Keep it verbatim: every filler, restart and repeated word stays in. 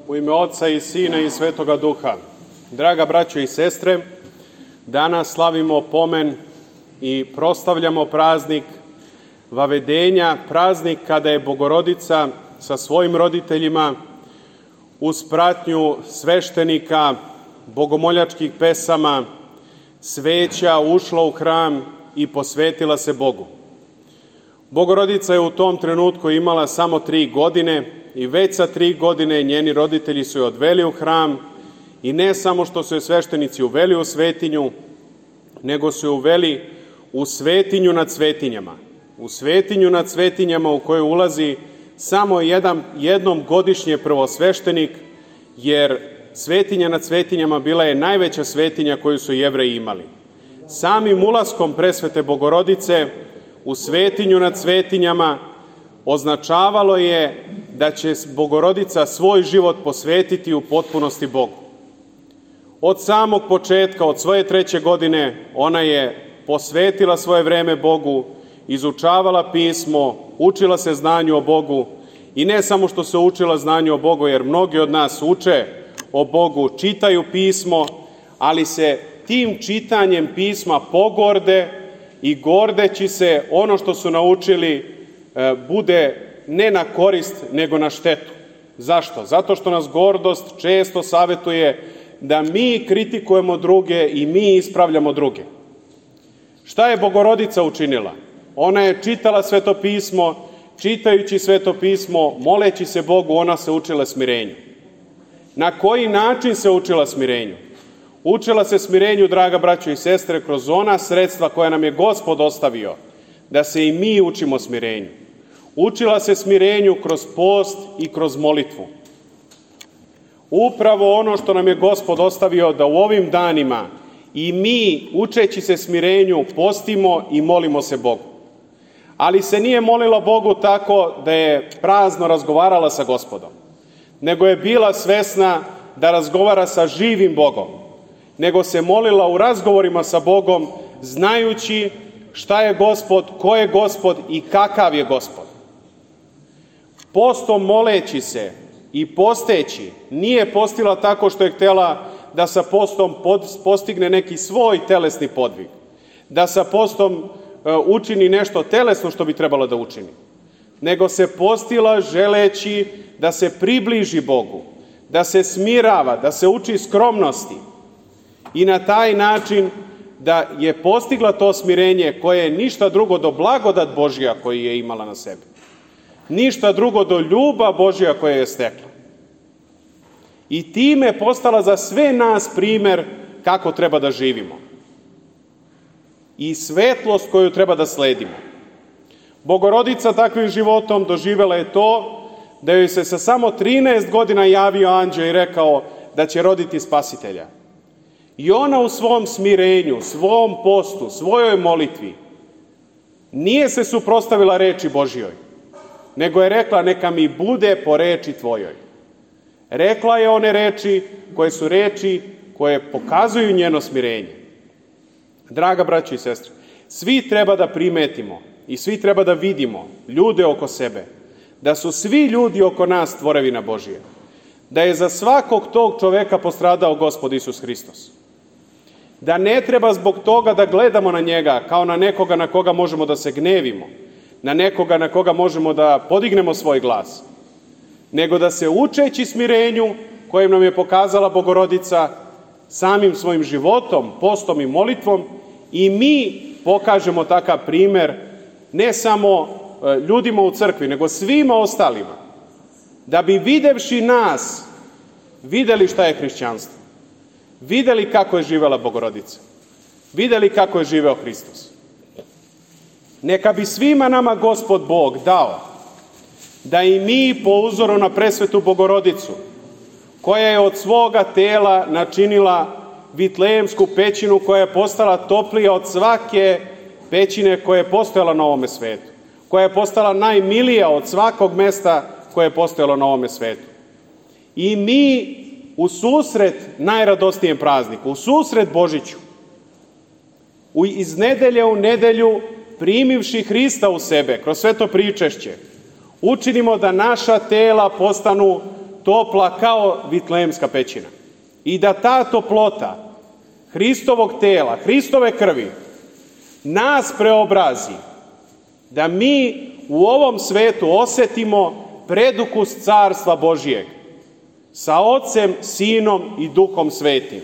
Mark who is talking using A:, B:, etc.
A: U ime Oca i Sina i Svetoga Duha. Draga braćo i sestre, danas slavimo pomen i proslavljamo praznik Vavedenja, praznik kada je Bogorodica sa svojim roditeljima uz pratnju sveštenika, bogomoljačkih pesama, sveća ušla u hram i posvetila se Bogu. Bogorodica je u tom trenutku imala samo tri godine i već sa tri godine njeni roditelji su je odveli u hram i ne samo što su je sveštenici uveli u svetinju, nego su je uveli u svetinju nad svetinjama. U svetinju nad svetinjama u kojoj ulazi samo jedan, jednom godišnje prvosveštenik, jer svetinja nad svetinjama bila je najveća svetinja koju su Jevreji imali. Samim ulaskom presvete Bogorodice u svetinju nad svetinjama označavalo je da će Bogorodica svoj život posvetiti u potpunosti Bogu. Od samog početka, od svoje treće godine, ona je posvetila svoje vreme Bogu, izučavala pismo, učila se znanju o Bogu i ne samo što se učila znanju o Bogu, jer mnogi od nas uče o Bogu, čitaju pismo, ali se tim čitanjem pisma pogorde i gordeći se ono što su naučili bude ne na korist, nego na štetu. Zašto? Zato što nas gordost često savetuje da mi kritikujemo druge i mi ispravljamo druge. Šta je Bogorodica učinila? Ona je čitala Sveto pismo, čitajući Sveto pismo, moleći se Bogu, ona se učila smirenju. Na koji način se učila smirenju? Učila se smirenju, draga braćo i sestre, kroz ona sredstva koja nam je Gospod ostavio, da se i mi učimo smirenju. Učila se smirenju kroz post i kroz molitvu. Upravo ono što nam je Gospod ostavio, da u ovim danima i mi, učeći se smirenju, postimo i molimo se Bogu. Ali se nije molila Bogu tako da je prazno razgovarala sa Gospodom, nego je bila svesna da razgovara sa živim Bogom, nego se molila u razgovorima sa Bogom, znajući šta je Gospod, ko je Gospod i kakav je Gospod. Postom moleći se i posteći nije postila tako što je htjela da sa postom postigne neki svoj telesni podvig, da sa postom učini nešto telesno što bi trebalo da učini, nego se postila želeći da se približi Bogu, da se smirava, da se uči skromnosti i na taj način da je postigla to smirenje koje je ništa drugo do blagodat Božja koju je imala na sebi, ništa drugo do ljubav Božja koja je stekla. I time je postala za sve nas primer kako treba da živimo i svetlost koju treba da sledimo. Bogorodica takvim životom doživela je to da joj se sa samo trinaest godina javio anđeo i rekao da će roditi Spasitelja. I ona u svom smirenju, svom postu, svojoj molitvi nije se suprotstavila reči Božjoj, nego je rekla neka mi bude po reči tvojoj. Rekla je one reči koje su reči koje pokazuju njeno smirenje. Draga braćo i sestre, svi treba da primetimo i svi treba da vidimo ljude oko sebe, da su svi ljudi oko nas tvorevina Božije, da je za svakog tog čoveka postradao Gospod Isus Hristos, da ne treba zbog toga da gledamo na njega kao na nekoga na koga možemo da se gnevimo, na nekoga na koga možemo da podignemo svoj glas, nego da se učeći smirenju kojem nam je pokazala Bogorodica samim svojim životom, postom i molitvom, i mi pokažemo takav primer ne samo ljudima u crkvi, nego svima ostalima, da bi videvši nas, videli šta je hrišćanstvo, videli kako je živela Bogorodica, videli kako je živeo Hristos. Neka bi svima nama Gospod Bog dao da i mi po uzoru na presvetu Bogorodicu, koja je od svoga tela načinila Vitlejemsku pećinu koja je postala toplija od svake pećine koja je postojala na ovome svetu, koja je postala najmilija od svakog mesta koje je postojalo na ovome svetu. I mi u susret najradosnijem prazniku, u susret Božiću, iz nedelje u nedelju primivši Hrista u sebe kroz sveto pričešće, učinimo da naša tela postanu topla kao Vitlejemska pećina. I da ta toplota Hristovog tela, Hristove krvi, nas preobrazi, da mi u ovom svetu osetimo predukus Carstva Božijeg sa Ocem, Sinom i Duhom Svetim.